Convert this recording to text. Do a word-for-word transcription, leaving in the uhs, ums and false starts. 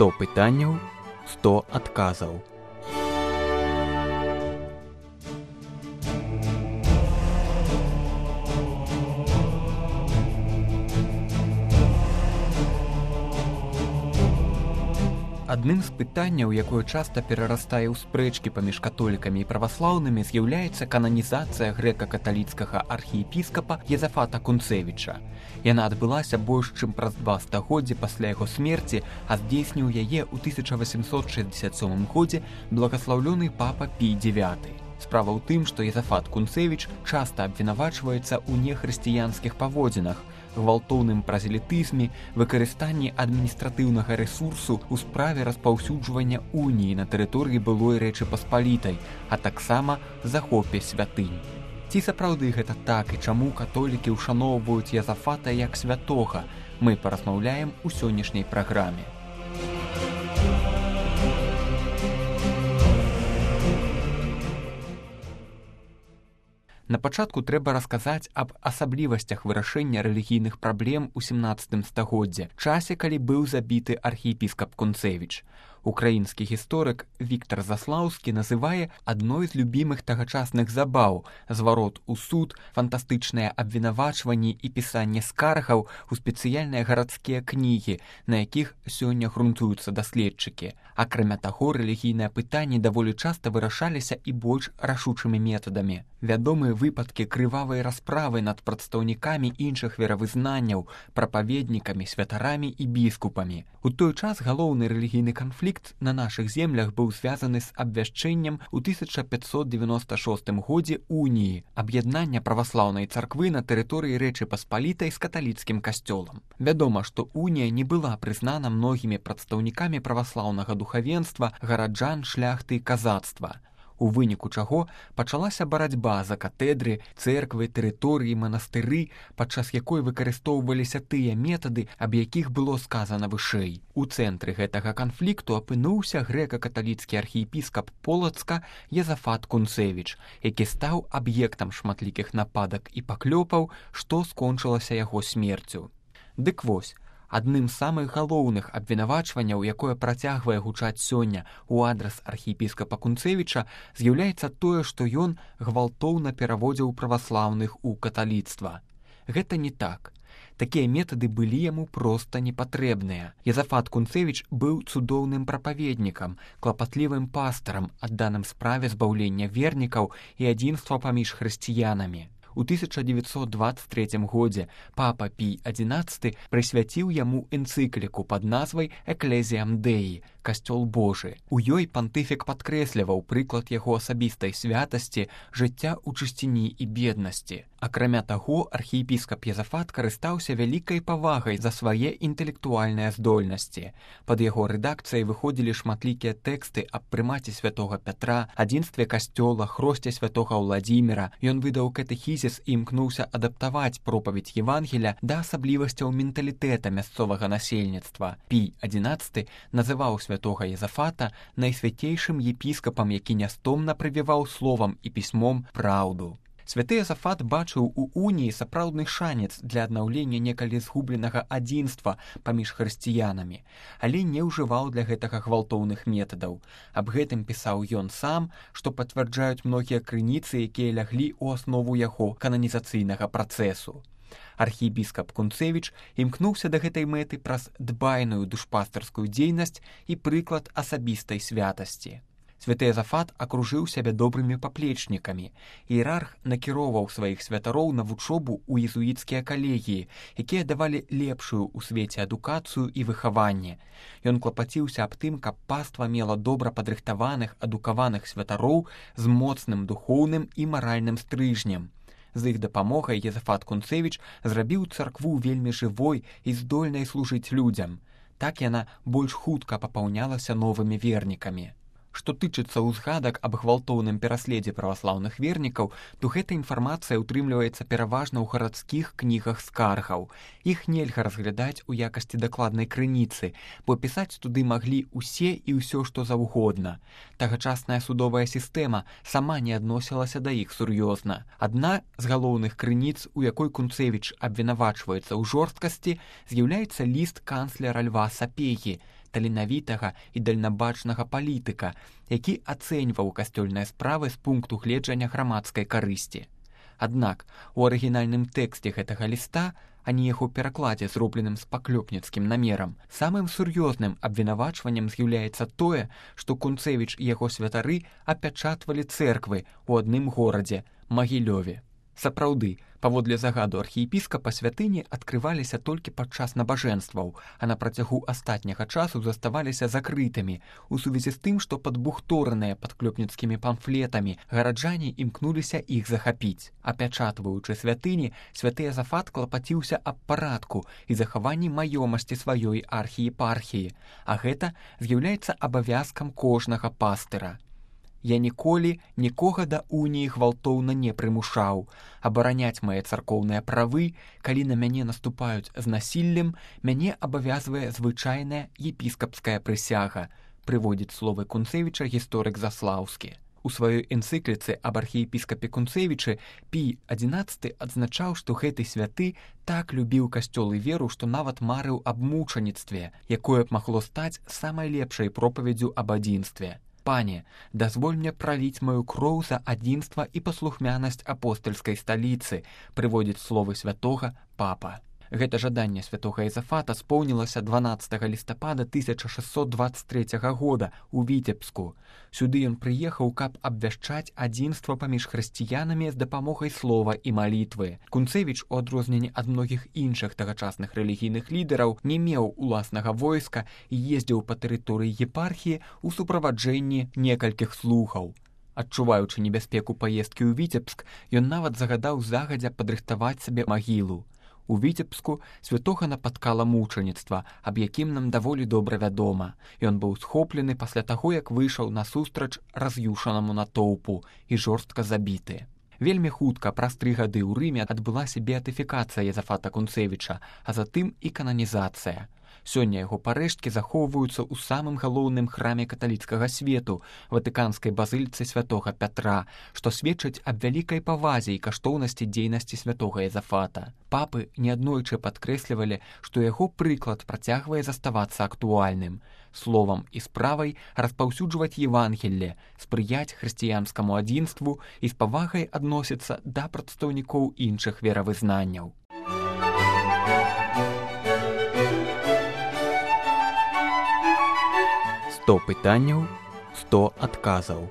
сто пытанняў, сто адказаў. Адным з пытанняў, якое часта перарастае ў спрэчкі паміж католікамі і праваслаўнымі, з'яўляецца кананізацыя грэка-каталіцкага архіепіскапа Езафата Кунцевіча. Яна адбылася больш чым праз два стагоддзі пасля яго смерці, а здзейсніў яе ў тысяча васемсот шэсцьдзесят сёмым годзе благаслаўлёны папа Пій дзевяты. Справа ў тым, што Езафат Кунцевіч часта абвінавачваецца ў нехрысціянскіх паводзінах, гвалтоўным празелітызме, выкарыстанні адміністратыўнага рэсурсу ў справе распаўсюджвання уніі на тэрыторыі былой Рэчы Паспалітай, а таксама захопе святынь. Ці сапраўды гэта так і чаму католікі ўшаноўваюць Езафата як святога, мы паразмаўляем у сённяшняй праграме. На пачатку трэба расказаць аб асаблівасцях вырашэння рэлігійных праблем у сямнаццатым стагоддзі, часе, калі быў забіты архіепіскап Кунцевіч. Украінскі гісторык Віктар Заслаўскі называе адной з любімых тагачасных забаў зварот у суд, фантастычныя абвінавачванні і пісанне скаргаў у спецыяльныя гарадскія кнігі, на якіх сёння грунтуюцца даследчыкі. Акрамя таго, рэлігійныя пытанні даволі часта вырашаліся і больш рашучымі метадамі. Вядомыя выпадкі крывавай расправы над прадстаўнікамі іншых веравызнанняў, прапаведнікамі, святарамі і біскупамі. У той час галоўны рэлігійны канфлікт на нашых землях быў звязаны з абвяшчэннем у тысяча пятьсот девяносто шостым годзе уніі, аб'яднання праваслаўнай царквы на тэрыторыі Рэчы Паспалітай з каталіцкім касцёлам. Вядома, што унія не была прызнана многімі прадстаўнікамі праваслаўнага духавенства, гараджан, шляхты і казацтва. У выніку чаго пачалася барацьба за катэдры, цэрквы, тэрыторыі, манастыры, падчас якой выкарыстоўваліся тыя метады, аб якіх было сказана вышэй. У цэнтры гэтага канфлікту апынуўся грэка-каталіцкі архіепіскап Полацка Езафат Кунцевіч, які стаў аб'ектам шматлікіх нападак і паклёпаў, што скончылася яго смерцю. Дык вось, адным з самых галоўных абвінавачванняў, якое працягвае гучаць сёння ў адрас архіепіскапа Кунцевіча, з'яўляецца тое, што ён гвалтоўна пераводзіў праваслаўных у каталіцтва. Гэта не так. Такія метады былі яму проста непатрэбныя. Езафат Кунцевіч быў цудоўным прапаведнікам, клапатлівым пастарам, адданым справе збаўлення вернікаў і адзінства паміж хрысціянамі. У тысяча девятьсот двадцать третьем годзе папа Пій адзінаццаты прысвяціў яму энцыкліку пад назвай «Экклезіям Деі» – «Касцёл Божы». У ёй пантыфік падкрэсліваў прыклад яго асабістай святасці, жыцця ў чысціні і беднасці. Акрамя таго, архіепіскап Езафат карыстаўся вялікай павагай за свае інтэлектуальныя здольнасці. Пад яго рэдакцыяй выходзілі шматлікія тэксты аб прымаце святога Пятра, адзінстве касцёла, хросце святога Ўладзіміра. Ён выдаў катэхізіс і імкнуўся адаптаваць пропаведь Евангеля да асаблівасцяў менталітэта мясцовага насельніцтва. Пій адзінаццаты называў святога Езафата найсвяцейшым епіскапам, які нястомна прывіваў словам і пісьмом праўду. Святы Езафат бачыў у уніі сапраўдны шанец для аднаўлення некалі згубленага адзінства паміж хрысціянамі, але не ўжываў для гэтага гвалтоўных метадаў. Аб гэтым пісаў ён сам, што пацвярджаюць многія крыніцы, якія ляглі ў аснову яго кананізацыйнага працэсу. Архіепіскап Кунцевіч імкнуўся да гэтай мэты праз дбайную душпастарскую дзейнасць і прыклад асабістай святасці. Святы Езафат акружыў сябе добрымі паплечнікамі. Іерарх накіроўваў сваіх святароў на вучобу ў езуіцкія калегіі, якія давалі лепшую ў свеце адукацыю і выхаванне. Ён клапаціўся аб тым, каб паства мела добра падрыхтаваных, адукаваных святароў з моцным духоўным і маральным стрыжнем. З іх дапамогай Езафат Кунцевіч зрабіў царкву вельмі жывой і здольнай служыць людзям. Так яна больш хутка папаўнялася новымі вернікамі. Што тычыцца ўзгадак аб гвалтоўным пераследзе праваслаўных вернікаў, то гэта інфармацыя ўтрымліваецца пераважна ў гарадскіх кнігах скаргаў. Іх нельга разглядаць у якасці дакладнай крыніцы, бо пісаць туды маглі ўсе і ўсё, што заўгодна. Тагачасная судовая сістэма сама не адносілася да іх сур'ёзна. Адна з галоўных крыніц, у якой Кунцевіч абвінавачваецца ў жорсткасці, з'яўляецца ліст канцлера Льва Сапегі, таленавітага і дальнабачнага палітыка, які ацэньваў касцёльныя справы з пункту гледжання грамадскай карысці. Аднак у арыгінальным тэксце гэтага ліста, а не яго перакладзе, зробленым з паклёпніцкім намерам, самым сур'ёзным абвінавачваннем з'яўляецца тое, што Кунцэвіч і яго святары апячатвалі цэрквы ў адным горадзе – Магілёве. Сапраўды, паводле загаду архіепіскапа, святыні адкрываліся толькі падчас набажэнстваў, а на працягу астатняга часу заставаліся закрытымі, у сувязі з тым, што падбухтораныя падклёпніцкімі памфлетамі гараджане імкнуліся іх захапіць. Апячатваючы святыні, святы Язафат клапаціўся аб парадку і захаванні маёмасці сваёй архіепархіі, а гэта з'яўляецца абавязкам кожнага пастыра. Я ніколі нікога да уніі гвалтоўна не прымушаў. Абараняць мае царкоўныя правы, калі на мяне наступаюць з насіллем, мяне абавязвае звычайная епіскапская прысяга, прыводзіць словы Кунцэвіча гісторык Заслаўскі. У сваёй энцыкліцы аб архіепіскапе Кунцэвічы Пій адзінаццаты адзначаў, што гэты святы так любіў касцёл і веру, што нават марыў аб мучаніцтве, якое б магло стаць самай лепшай пропаведзю аб адзінстве. «Пане, дазволь мне пролить мою кроў за адзінства і паслухмянасць апостальскай сталіцы», прыводзіць словы святога папа. Гэта жаданне святога Язафата споўнілася дванаццатага лістапада тысяча шэсцьсот дваццаць трэцяга года ў Віцебску. Сюды ён прыехаў, каб абвяшчаць адзінства паміж хрысціянамі з дапамогай слова і малітвы. Кунцэвіч, у адрозненні ад многіх іншых тагачасных рэлігійных лідараў, не меў уласнага войска і ездзіў па тэрыторыі епархіі ў суправаджэнні некалькіх слугаў. Адчуваючы небяспеку паездкі ў Віцебск, ён нават загадаў загадзя падрыхтаваць сабе магілу. У Віцебску святога напаткала мучаніцтва, аб якім нам даволі добра вядома. Ён быў схоплены пасля таго, як выйшаў насустрач раз'юшанаму натоўпу і жорстка забіты. Вельмі хутка, праз тры гады ў Рыме, адбылася беатыфікацыя Язафата Кунцэвіча, а затым і кананізацыя. Сёння яго парэшткі захоўваюцца ў самым галоўным храме каталіцкага свету, ватыканскай базыліцы святога Пятра, што сведчыць аб вялікай павазе і каштоўнасці дзейнасці святога Язафата. Папы неаднойчы падкрэслівалі, што яго прыклад працягвае заставацца актуальным. Словам і справай распаўсюджваць Евангелле, спрыяць хрысціянскаму адзінству і з павагай адносіцца да прадстаўнікоў іншых веравызнанняў. сто пытанняў, сто адказаў.